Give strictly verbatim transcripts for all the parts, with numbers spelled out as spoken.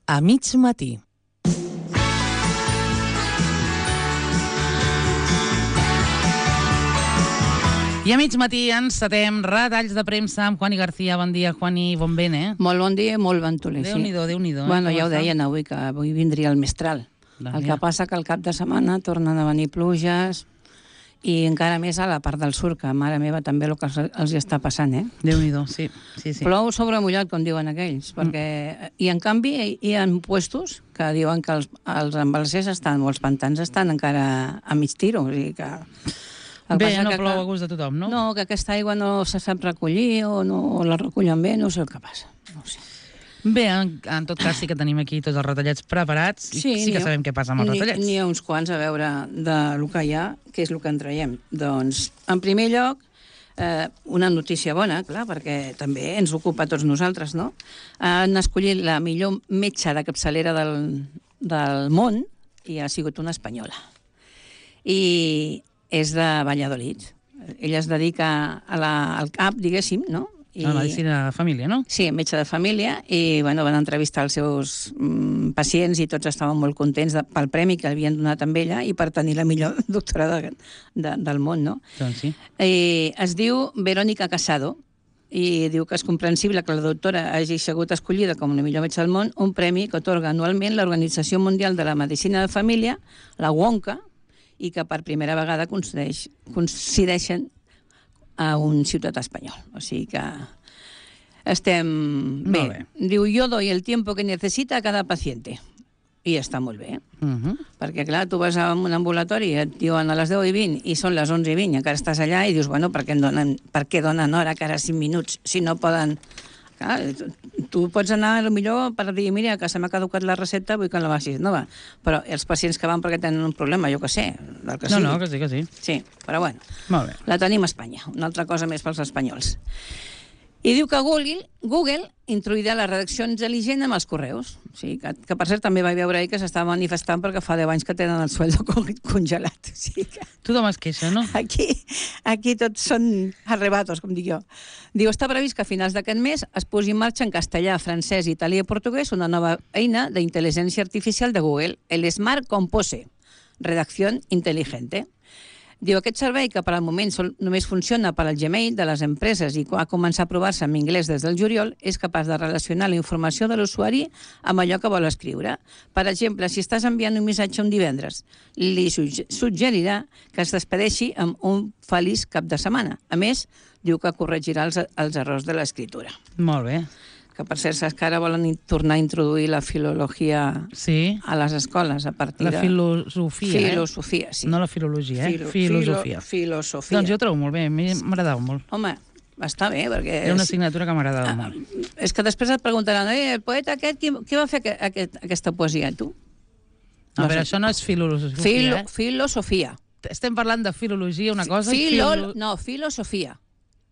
A mig matí. I a mig matí encetem retalls de premsa amb Juani García. Bon dia, Juani, bon vent, eh? Molt bon dia i molt ventoler, sí. Déu-n'hi-do, Déu-n'hi-do. Eh? Bueno, ja ho deien avui, que avui vindria el mestral. El que passa que al cap de setmana tornen a venir pluges i encara més a la part del sud, que mare meva també el que els, els està passant, eh? Déu-n'hi-do, sí. sí, sí. Plou sobre mullat, com diuen aquells, perquè... Mm. I en canvi hi ha puestos que diuen que els, els embalsers estan, o els pantans estan encara a mig tiro, o sigui que... Bé, no plou a gust de tothom, no? No, que aquesta aigua no se sap recollir o no la recullen bé, no sé el que passa. No ho sé. Bé, en, en tot cas sí que tenim aquí tots els retallets preparats i sí, sí que sabem què passa amb els retallets. N'hi ha uns quants a veure del que hi ha, què és el que en traiem. Doncs, en primer lloc, eh, una notícia bona, clar, perquè també ens ocupa a tots nosaltres, no? Han escollit la millor metge de capçalera del, del món i ha sigut una espanyola. I és de Valladolid. Ella es dedica a la, al cap, diguéssim, no? I... A la medicina de família, no? Sí, metge de família, i bueno, van entrevistar els seus mm, pacients i tots estaven molt contents de, pel premi que havien donat amb ella i per tenir la millor doctora de, de, del món, no? Doncs sí. I es diu Verónica Casado, i diu que és comprensible que la doctora hagi sigut escollida com la millor metge del món, un premi que atorga anualment l'Organització Mundial de la Medicina de Família, la WONCA, i que per primera vegada coincideixen a un ciutadà espanyol. O sigui que estem bé. bé. Diu, yo doy el tiempo que necesita a cada paciente. I està molt bé. Uh -huh. Perquè, clar, tu vas a un ambulatori i et diuen a les deu i vint i són les onze i vint i encara estàs allà i dius, bueno, per què donen, per què donen hora que ara cinc minuts si no poden... Clar, tu pots anar, potser per dir, mira, que se m'ha caducat la recepta, vull que la vagis nova. Però els pacients que van perquè tenen un problema, jo que sé, del que no, sigui. No, que sí, que sí. Sí, però bueno, molt bé. La tenim a Espanya, una altra cosa més pels espanyols. I diu que Google, Google introduirà la redacció intel·ligent amb els correus. O sigui, que, que per cert també vaig veure ahir que s'estava manifestant perquè fa deu anys que tenen el sueldo congelat. O sigui que... Tothom es queixa, no? Aquí, aquí tots són arrebatos, com dic jo. Diu, està previst que a finals d'aquest mes es posi en marxa en castellà, francès, italià i portuguès una nova eina d'intel·ligència artificial de Google, el Smart Compose, redacció intel·ligente. Diu, aquest servei, que per al moment sol, només funciona per al Gmail de les empreses i ha començat a provar-se en anglès des del juliol, és capaç de relacionar la informació de l'usuari amb allò que vol escriure. Per exemple, si estàs enviant un missatge un divendres, li suggerirà que es despedeixi amb un feliç cap de setmana. A més, diu que corregirà els, els errors de l'escriptura. Molt bé. Que per cert, saps que ara volen tornar a introduir la filologia sí. a les escoles a partir de... La filosofia, Filosofia, eh? sí. No la filologia, eh? Filo, filosofia. Filo, filosofia. Doncs jo ho trobo molt bé, m'agradava molt. Home, està bé, perquè... Era una assignatura que m'agradava ah, molt. És que després et preguntaran, eh, el poeta aquest, qui, qui va fer aquest, aquest, aquesta poesia, tu? No, no però sé. Això no és filosofia, Filo, eh? Filosofia. Estem parlant de filologia, una cosa... Filo, filo... No, filosofia.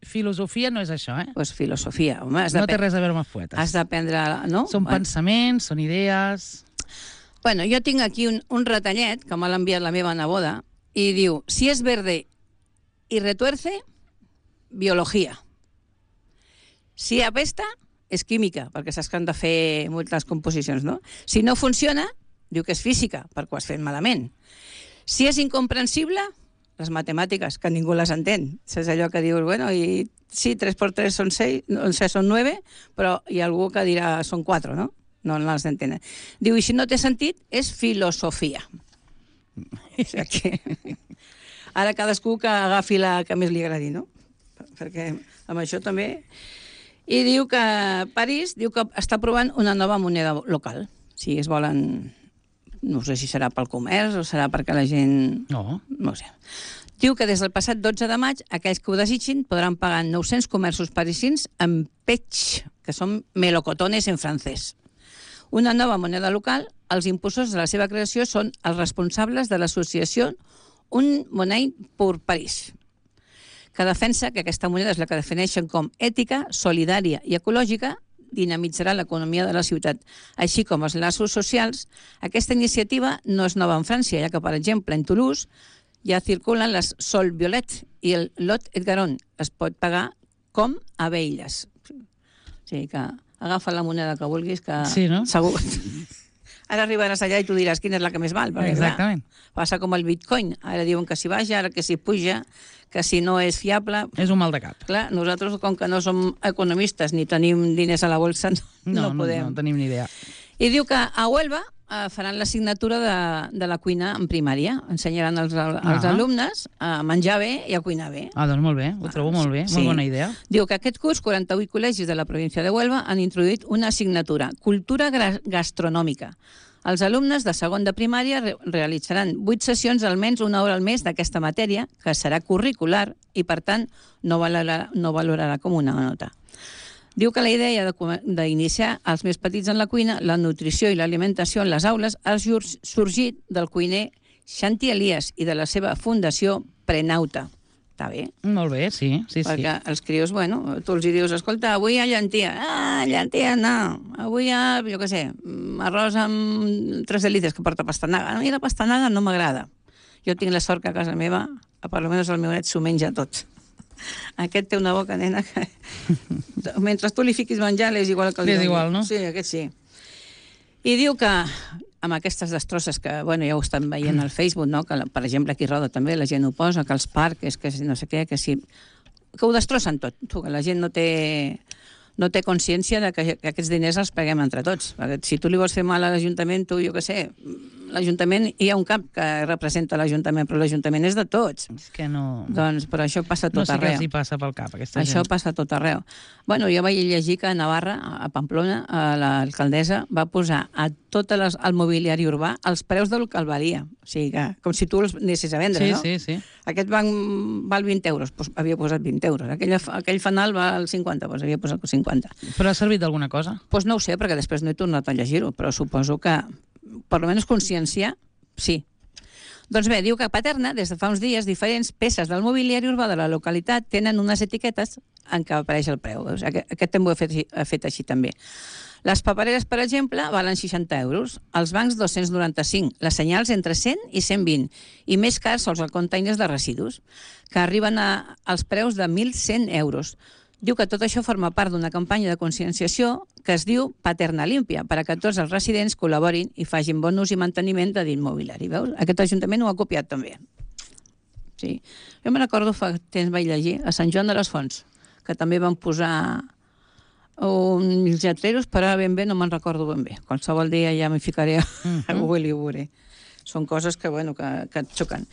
Filosofia no és això, eh? Doncs pues filosofia, home. Has no té res a veure amb els poetes. Has d'aprendre... No? Són bueno. pensaments, són idees... Bueno, jo tinc aquí un, un retallet que m'ha enviat la meva neboda i diu, si és verde i retuerce, biologia. Si apesta, és química, perquè saps que han de fer moltes composicions, no? Si no funciona, diu que és física, perquè ho has fet malament. Si és incomprensible, les matemàtiques, que ningú les entén. És allò que dius, bueno, i sí, tres per tres són seis, no sé, són nueve, però hi ha algú que dirà són quatre, no? No les entenen. Diu, i si no té sentit, és filosofia. O sigui que... Ara cadascú que agafi la que més li agradi, no? Perquè amb això també... I diu que París diu que està provant una nova moneda local. Si es volen... No sé si serà pel comerç o serà perquè la gent... No. No ho sé. Diu que des del passat dotze de maig aquells que ho desitgin podran pagar en nou-cents comerços parisins en pech, que són melocotones en francès. Una nova moneda local, els impulsors de la seva creació són els responsables de l'associació Un Monnaie pour Paris, que defensa que aquesta moneda és la que defineixen com ètica, solidària i ecològica, dinamitzarà l'economia de la ciutat, així com els laços socials. Aquesta iniciativa no és nova en França, ja que, per exemple, en Toulouse ja circulen les Sol Violet i el Lot et Garonne. Es pot pagar com a Beiles. O sigui que agafa la moneda que vulguis, que sí, no? segur, Ara arribaràs allà i tu diràs quina és la que més val. Perquè, Exactament. Clar, passa com el bitcoin. Ara diuen que si baix, ara que si puja, que si no és fiable... És un mal de cap. Clar, nosaltres, com que no som economistes ni tenim diners a la bolsa, no, No, no no, podem. no, no tenim ni idea. I diu que a Huelva eh, faran l'assignatura de, de la cuina en primària. Ensenyaran als, als Ah. alumnes a menjar bé i a cuinar bé. Ah, doncs molt bé, ho trobo molt bé, Sí. molt bona idea. Diu que aquest curs quaranta-vuit col·legis de la província de Huelva han introduït una assignatura, cultura gra- gastronòmica. Els alumnes de segon de primària re realitzaran vuit sessions almenys una hora al mes d'aquesta matèria, que serà curricular i, per tant, no valorarà, no valorarà com una nota. Diu que la idea d'iniciar els més petits en la cuina, la nutrició i l'alimentació en les aules ha sorgit del cuiner Xanti Elias i de la seva fundació Prenauta. Està bé? Molt bé, sí, sí, sí. Perquè els crios, bueno, tu els hi dius, escolta, avui hi ha llentia. Ah, llentia, no. Avui hi ha, jo què sé, arròs amb tres delites que porta pastanaga. A mi la pastanaga no m'agrada. Jo tinc la sort que a casa meva, a per almenys el meu net s'ho menja tot. Aquest té una boca, nena, que... mentre tu li fiquis menjar, és igual que el és igual, no? Sí, aquest sí. I diu que amb aquestes destrosses que, bueno, ja ho estan veient al Facebook, no? Que, per exemple, aquí a Roda també la gent ho posa, que els parcs, que no sé què, que sí... Que ho destrossen tot. Tu, que la gent no té, no té consciència de que, que aquests diners els paguem entre tots. Perquè si tu li vols fer mal a l'Ajuntament, tu, jo què sé, l'Ajuntament, hi ha un cap que representa l'Ajuntament, però l'Ajuntament és de tots. És que no... Doncs per això passa tot no sé arreu. què els hi passa pel cap, aquesta Això gent. passa tot arreu. Bueno, jo vaig llegir que a Navarra, a Pamplona, l'alcaldessa va posar a tot les, el mobiliari urbà els preus del que el valia. O sigui que, com si tu els anessis a vendre, sí, no? Sí, sí, sí. Aquest banc val vint euros, doncs havia posat vint euros. Aquell, aquell fanal val cinquanta, doncs havia posat cinquanta. Però ha servit d'alguna cosa? Doncs no ho sé, perquè després no he tornat a llegir-ho, però suposo que, per almenys consciència, sí. Doncs bé, diu que a Paterna, des de fa uns dies, diferents peces del mobiliari urbà de la localitat tenen unes etiquetes en què apareix el preu. Aquest, aquest també ho he fet, he fet així també. Les papereres, per exemple, valen seixanta euros, els bancs dos-cents noranta-cinc, les senyals entre cent i cent vint, i més cars sols els containers de residus, que arriben a, als preus de mil cent euros. Diu que tot això forma part d'una campanya de conscienciació que es diu Paterna Límpia, per a que tots els residents col·laborin i facin bon ús i manteniment de l'immobiliari. Veus? Aquest Ajuntament ho ha copiat també. Sí. Jo me recordo fa temps vaig llegir a Sant Joan de les Fonts, que també van posar uns lletreros, però ara ben bé no me'n recordo ben bé. Qualsevol dia ja m'hi ficaré a, a Google i ho veuré. Són coses que, bueno, que, que et xoquen.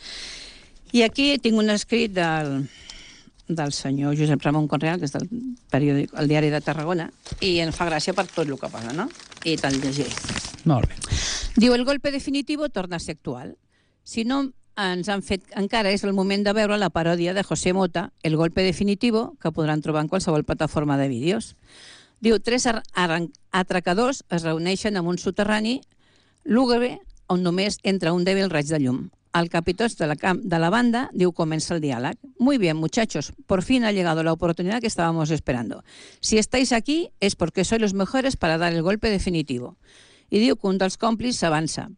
I aquí tinc un escrit del, del senyor Josep Ramon Conreal, que és del periòdic El Diari de Tarragona, i em fa gràcia per tot el que posa, no? I te'l llegiré. Molt bé. Diu, el golpe definitivo torna a ser actual. Si no ens han fet encara, és el moment de veure la paròdia de José Mota, El golpe definitivo, que podran trobar en qualsevol plataforma de vídeos. Diu, tres atracadors es reuneixen en un soterrani lúgubre on només entra un dèbil raig de llum. Al capitost de la, de la banda, diu, comienza el diálogo. Muy bien, muchachos, por fin ha llegado la oportunidad que estábamos esperando. Si estáis aquí es porque sois los mejores para dar el golpe definitivo. Y diu que un dels còmplices s'avança.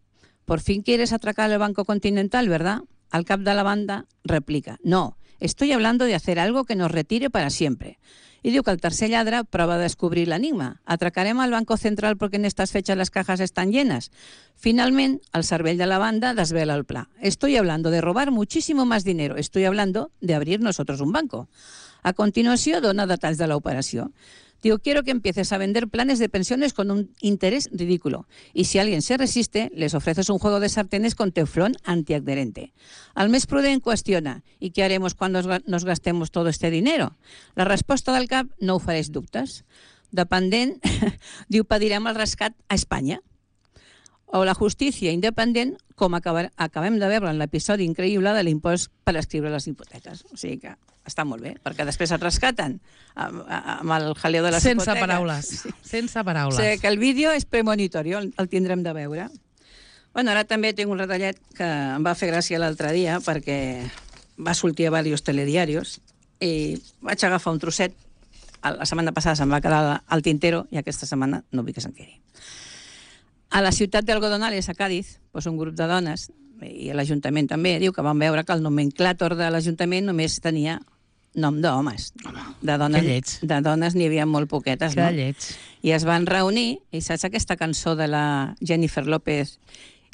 Por fin quieres atracar el Banco Continental, ¿verdad? Al cap de la banda replica, no, estoy hablando de hacer algo que nos retire para siempre. Y diu que el tercer lladre prova a descobrir l'enigma. ¿Atracarem al Banco Central porque en estas fechas las cajas están llenas? Finalment, el cervell de la banda desvela el pla. Estoy hablando de robar muchísimo más dinero. Estoy hablando de abrir nosotros un banco. A continuació, dona detalls de l'operació. Digo, quiero que empieces a vender planes de pensiones con un interés ridículo. Y si alguien se resiste, les ofreces un juego de sartenes con teflón antiadherente. Al més prudent qüestiona, ¿y qué haremos cuando nos gastemos todo este dinero? La resposta del cap no ofereix dubtes. Dependent, diu, pedirem el rescat a Espanya. O la justícia independent, com acabar, acabem de veure en l'episodi increïble de l'impost per escriure les hipoteques. O sigui que està molt bé, perquè després et rescaten amb, amb el jaleo de les sense hipoteques. Paraules. Sí. Sense paraules. O sigui que el vídeo és premonitori, el, el tindrem de veure. Bueno, ara també tinc un retallet que em va fer gràcia l'altre dia perquè va sortir a diversos telediaris i vaig agafar un trosset. La setmana passada se'm va quedar al tintero i aquesta setmana no vull que se'n quedi. A la ciutat d'Algodonales, a Cádiz, doncs un grup de dones, i l'Ajuntament també, diu que van veure que el nomenclàtor de l'Ajuntament només tenia nom d'homes. De que dones, lleig. de dones n'hi havia molt poquetes, Que no? lleig. I es van reunir, i saps aquesta cançó de la Jennifer López?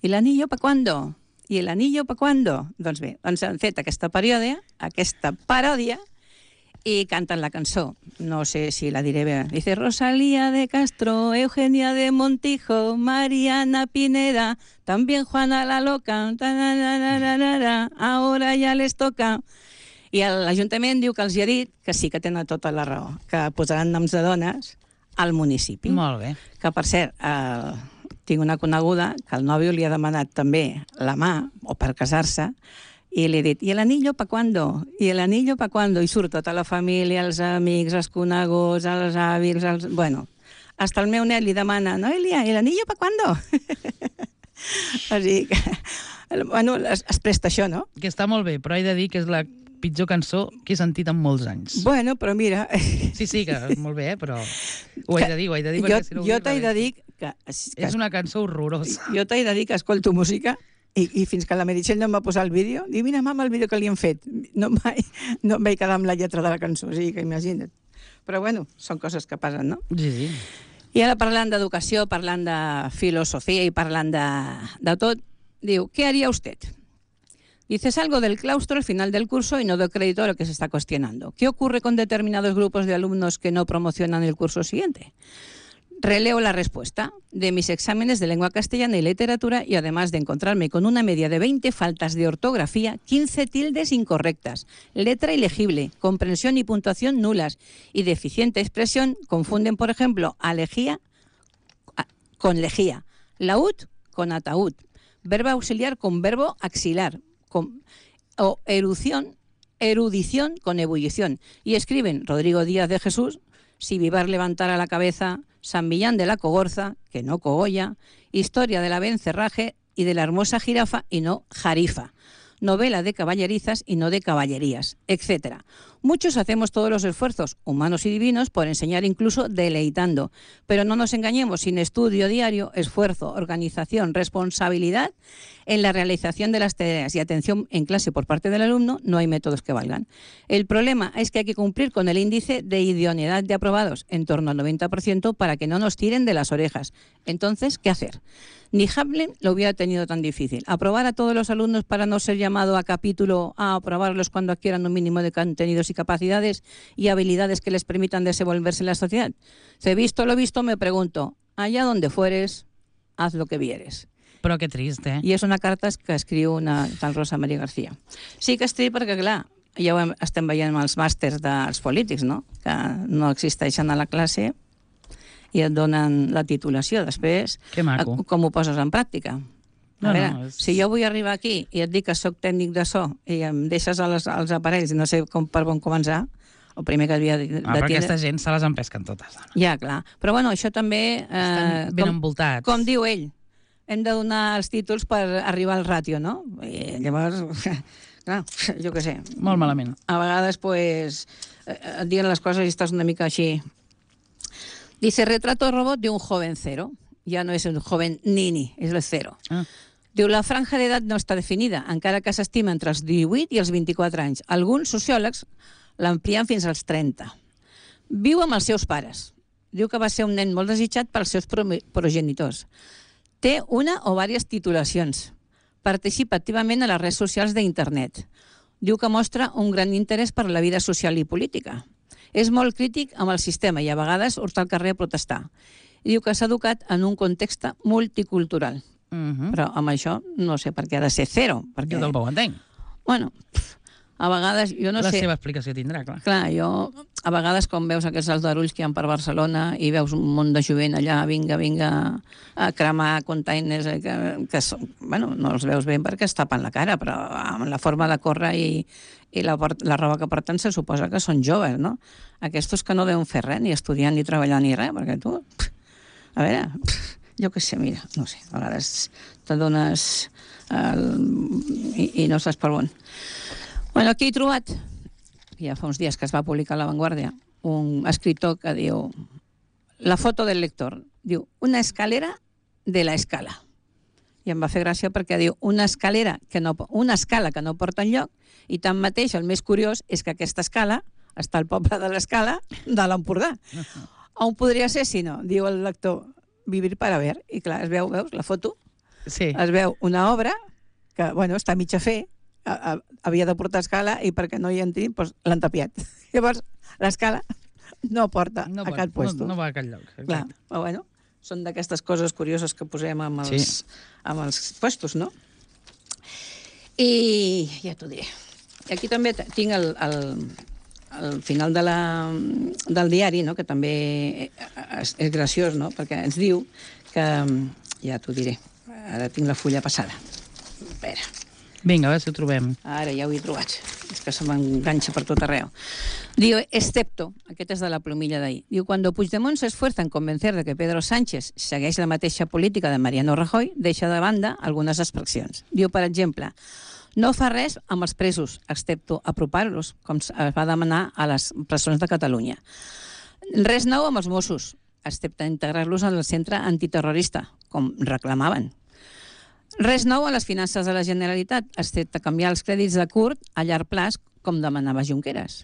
¿Y el anillo pa cuándo? ¿Y el anillo pa cuándo? Doncs bé, doncs han fet aquesta paròdia, aquesta paròdia, i canten la cançó. No sé si la diré bé. Dice Rosalía de Castro, Eugenia de Montijo, Mariana Pineda, también Juana la Loca, tararararara, ahora ya les toca. I l'Ajuntament diu que els hi ha dit que sí que tenen tota la raó, que posaran noms de dones al municipi. Molt bé. Que, per cert, eh, tinc una coneguda que el nòvio li ha demanat també la mà, o per casar-se, i li he dit, ¿y el anillo pa cuándo? ¿Y el anillo pa cuándo? I surt tota la família, els amics, els coneguts, els avis, els... Bueno, hasta el meu net li demana, Noelia, ¿y el anillo pa cuándo? O sigui que, bueno, es, es presta això, no? Que està molt bé, però he de dir que és la pitjor cançó que he sentit en molts anys. Bueno, però mira... Sí, sí, que és molt bé, però ho he de dir, ho he de dir, jo, perquè si no... Jo t'he de dir que... que és una cançó horrorosa. Jo t'he de dir que escolto música i, i fins que la Meritxell no em va posar el vídeo, diu, mira, mama, el vídeo que li han fet. No em vaig, no em vaig quedar amb la lletra de la cançó, o sigui que imagina't. Però bueno, són coses que passen, no? Sí, sí. I ara parlant d'educació, parlant de filosofia i parlant de, de tot, diu, ¿qué haría usted? Dice, salgo del claustro al final del curso y no doy crédito a lo que se está cuestionando. ¿Qué ocurre con determinados grupos de alumnos que no promocionan el curso siguiente? Releo la respuesta de mis exámenes de lengua castellana y literatura y además de encontrarme con una media de veinte faltas de ortografía, quince tildes incorrectas, letra ilegible, comprensión y puntuación nulas y deficiente expresión, confunden, por ejemplo, alejía con lejía, laúd con ataúd, verbo auxiliar con verbo axilar, con, o erudición, erudición con ebullición. Y escriben Rodrigo Díaz de Jesús, si Vivar levantara la cabeza, San Millán de la Cogorza, que no cogolla, Historia de la Bencerraje y de la hermosa jirafa y no jarifa, novela de caballerizas y no de caballerías, etcétera. Muchos hacemos todos los esfuerzos, humanos y divinos, por enseñar incluso deleitando. Pero no nos engañemos, sin estudio diario, esfuerzo, organización, responsabilidad en la realización de las tareas y atención en clase por parte del alumno, no hay métodos que valgan. El problema es que hay que cumplir con el índice de idoneidad de aprobados, en torno al noventa por ciento, para que no nos tiren de las orejas. Entonces, ¿qué hacer? Ni Hamlet lo hubiera tenido tan difícil. Aprobar a todos los alumnos para no ser llamado a capítulo a aprobarlos cuando adquieran un mínimo de contenidos y capacidades y habilidades que les permitan desenvolverse en la sociedad. Si visto lo visto, me pregunto, allá donde fueres, haz lo que vieres. Però que trist, eh? I és una carta que escriu una tal Rosa Maria García. Sí que és trist perquè, clar, ja ho hem, estem veient amb els màsters dels polítics, no? Que no existeixen a la classe i et donen la titulació. Després, que maco. Com ho poses en pràctica? A no, veure, no, és... si jo vull arribar aquí i et dic que sóc tècnic de so i em deixes els, els aparells i no sé com, per on començar, el primer que havia de, de ah, però tindre... aquesta gent se les empesquen totes. No? Ja, clar. Però bueno, això també... Eh, Estan ben com, envoltats. Com diu ell, hem de donar els títols per arribar al ràtio, no? I llavors, clar, jo què sé. Molt malament. A vegades, pues, et diuen les coses i estàs una mica així. Dice, retrato robot de un joven cero. Ya no es un joven nini, és el cero. Ah. Diu, la franja d'edat no està definida, encara que s'estima entre els divuit i els vint-i-quatre anys. Alguns sociòlegs l'amplien fins als trenta. Viu amb els seus pares. Diu que va ser un nen molt desitjat pels seus progenitors. Té una o diverses titulacions. Participa activament a les redes socials d'internet. Diu que mostra un gran interès per la vida social i política. És molt crític amb el sistema i a vegades surt al carrer a protestar. I diu que s'ha educat en un context multicultural. Uh-huh. Però amb això no sé per què ha de ser zero. Perquè... Jo tampoc ho entenc. Bueno, a vegades, jo no la sé... La seva explicació tindrà, clar. Clar, jo, a vegades, quan veus aquests aldarulls que hi ha per Barcelona i veus un munt de jovent allà, vinga, vinga, a cremar containers, que, que són, bueno, no els veus bé perquè es tapen la cara, però amb la forma de córrer i, i la, la roba que porten se suposa que són joves, no? Aquests que no deuen fer res, ni estudiar, ni treballar, ni res, perquè tu... A veure, jo què sé, mira, no sé, a vegades te dones el, i, i no saps per on. Bueno, aquí he trobat, ja fa uns dies que es va publicar a La Vanguardia, un escritor que diu, la foto del lector, diu, una escalera de la escala. i em va fer gràcia perquè diu una escalera que no, una escala que no porta enlloc, i tanmateix el més curiós és que aquesta escala està al poble de l'Escala de l'Empordà. On podria ser si no? Diu el lector, vivir para ver. I clar, es veu, veus, la foto, Sí. es veu una obra que, bueno, està mig a fer, a, a, havia de portar escala i perquè no hi entri, doncs l'han tapiat. Llavors, l'escala no porta No, a pot, cap puesto. no, no va a cap lloc. Clar, Exacte. però bueno, són d'aquestes coses curioses que posem amb els, Sí. amb els puestos, no? I ja t'ho diré. I aquí també t- tinc el, el, el final de la, del diari, no? Que també és, és graciós, no? Perquè ens diu que... Ja t'ho diré. Ara tinc la fulla passada. Espera. Vinga, a veure si ho trobem. Ara ja ho he trobat. És que se m'enganxa per tot arreu. Diu, excepto, aquest és de la plomilla d'ahir, diu, cuando Puigdemont se esfuerza en convencer de que Pedro Sánchez segueix la mateixa política de Mariano Rajoy, deixa de banda algunes expressions. Diu, per exemple, no fa res amb els presos, excepto apropar-los, com es va demanar a les presons de Catalunya. Res nou amb els Mossos, excepte integrar-los en el centre antiterrorista, com reclamaven. Res nou a les finances de la Generalitat, excepte canviar els crèdits de curt a llarg plaç, com demanava Junqueras.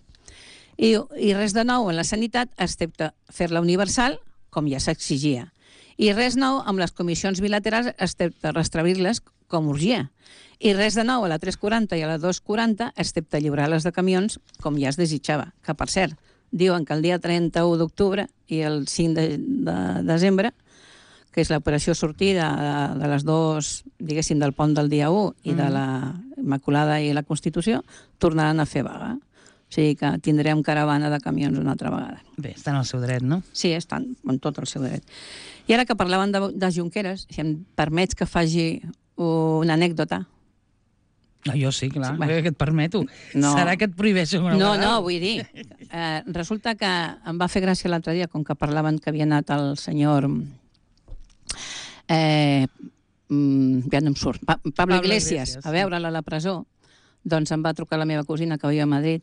I, i res de nou en la sanitat, excepte fer-la universal, com ja s'exigia. I res nou amb les comissions bilaterals, excepte restaurir-les, com urgia. I res de nou a la tres quaranta i a la dos quaranta, excepte lliurar-les de camions, com ja es desitjava. Que, per cert, diuen que el dia trenta-u d'octubre i el cinc de, de desembre, que és l'operació sortida de, de les dues, diguéssim, del pont del dia u i de la Immaculada i la Constitució, tornaran a fer vaga. O sigui que tindrem caravana de camions una altra vegada. Bé, estan al seu dret, no? Sí, estan en tot el seu dret. I ara que parlaven de, de Junqueras, si em permets que faci una anècdota. No, jo sí, clar, Sí, bueno. que et permeto. No. Serà que et prohibeixo una No, vegada? no, vull dir, eh, resulta que em va fer gràcia l'altre dia, com que parlaven que havia anat el senyor... Eh, mm, ja no em surt, pa Pablo, Pablo Iglesias, Iglesias, a veure-la a la presó, doncs em va trucar la meva cosina que vivia a Madrid.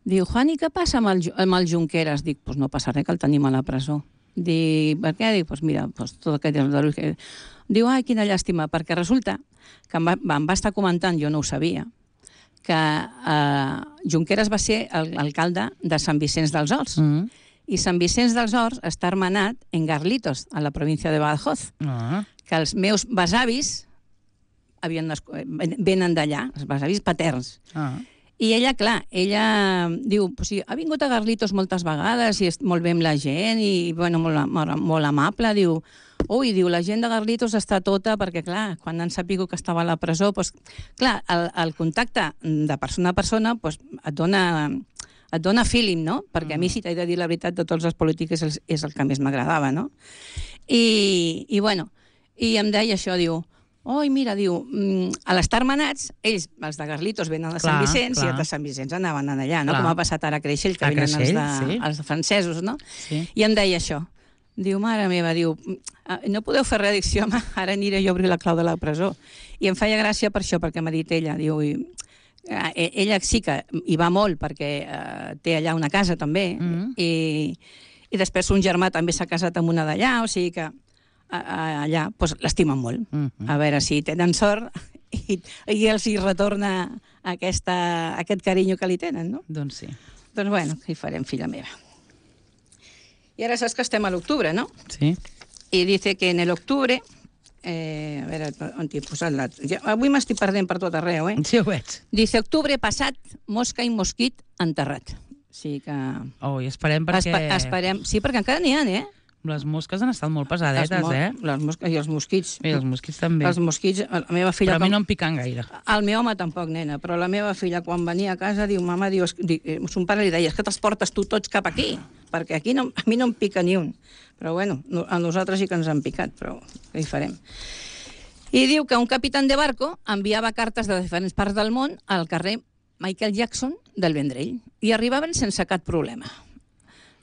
Diu, Juani, què passa amb el, Ju- amb el Junqueras? Dic, pues no passa res, que el tenim a la presó. Dic, per què? Dic, pues mira, pues tot aquest... que... Diu, ai, quina llàstima, perquè resulta que em va, em va estar comentant, jo no ho sabia, que eh, Junqueras va ser l'alcalde de Sant Vicenç dels Horts. Mm. I Sant Vicenç dels Horts està hermanat en Garlitos, a la província de Badajoz, Ah, que els meus besavis havien nascut, venen d'allà, els besavis paterns. ah. I ella, clar, ella diu, o sigui, ha vingut a Garlitos moltes vegades i és molt bé amb la gent i bueno, molt, molt, molt amable, diu, ui, diu, la gent de Garlitos està tota perquè, clar, quan han sapigut que estava a la presó, doncs, clar, el, el contacte de persona a persona doncs, et dona et dona feeling, no? Perquè a mi, si t'he de dir la veritat, de tots els polítics és, és el que més m'agradava, no? I, i bueno, i em deia això, diu, oi, mira, diu, a l'estar manats, ells, els de Garlitos, venen a Sant Clar, Vicenç clar. i els de Sant Vicenç anaven allà, no? Clar. Com ha passat ara a Creixell, que A venen els, Creixell, de, sí. els francesos, no? Sí. I em deia això. Diu, mare meva, diu, no podeu fer readdicció, home? Ara aniré jo a obrir la clau de la presó. I em feia gràcia per això, perquè m'ha dit ella, diu, i, eh, ella sí que hi va molt perquè eh, té allà una casa també, Mhm. i, i després un germà també s'ha casat amb una d'allà, o sigui que a, a, allà doncs, l'estimen molt. Mhm. A veure si tenen sort i, i els hi retorna aquesta, aquest carinyo que li tenen, no? Doncs sí. Doncs bueno, què hi farem, filla meva? I ara saps que estem a l'octubre, no? Sí. I dice que en el octubre... Eh, a veure, on t'he posat la... Ja, avui m'estic perdent per tot arreu, eh? Sí, ho veig. Dice, octubre passat, mosca i mosquit enterrat. O sigui que... Oh, i esperem perquè... Espe esperem... Sí, perquè encara n'hi ha, eh? Les mosques han estat molt pesadetes, mo eh? les mosques i els mosquits. I els mosquits també. Els mosquits, la meva filla... Però a mi com- no em piquen gaire. El meu home tampoc, nena, però la meva filla, quan venia a casa, diu, mama, diu, es- di- eh, son pare li deia, és que te'ls portes tu tots cap aquí, perquè aquí no, a mi no em pica ni un. Però bueno, no, a nosaltres sí que ens han picat, però què hi farem? I diu que un capitán de barco enviava cartes de diferents parts del món al carrer Michael Jackson del Vendrell i arribaven sense cap problema.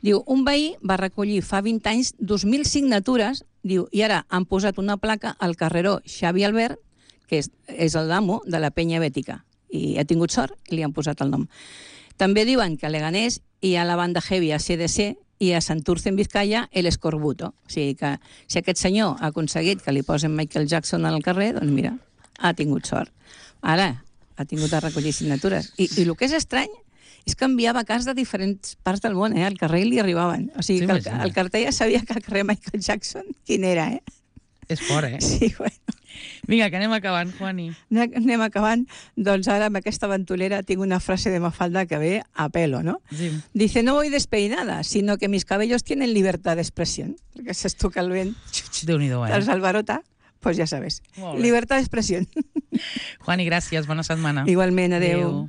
Diu, un veí va recollir fa vint anys dos mil signatures, diu, i ara han posat una placa al carreró Xavi Albert, que és, és el damo de la penya bètica, i ha tingut sort i li han posat el nom. També diuen que a Leganés hi ha la banda heavy A C D C i a Santurce, en Vizcaya, el escorbuto. O sigui que si aquest senyor ha aconseguit que li posen Michael Jackson al carrer, doncs mira, ha tingut sort. Ara, ha tingut a recollir signatures. I, i el que és estrany és que enviava carts de diferents parts del món, eh? Al carrer li arribaven. O sigui, que el, el cartell ja sabia que el carrer Michael Jackson quin era, eh? És fort, eh? Sí, bueno. Vinga, que anem acabant, Juani. Anem acabant. Doncs ara, amb aquesta aventurera, tinc una frase de Mafalda que ve a pelo, ¿no? Sí. Dice, no voy despeinada, sino que mis cabellos tienen libertad de expresión. Perquè s'estuca el vent. Déu-n'hi-do, eh? Els albarota, pues ja sabes. Libertad de expresión. Juani, gràcies. Bona setmana. Igualment, adeu. adeu.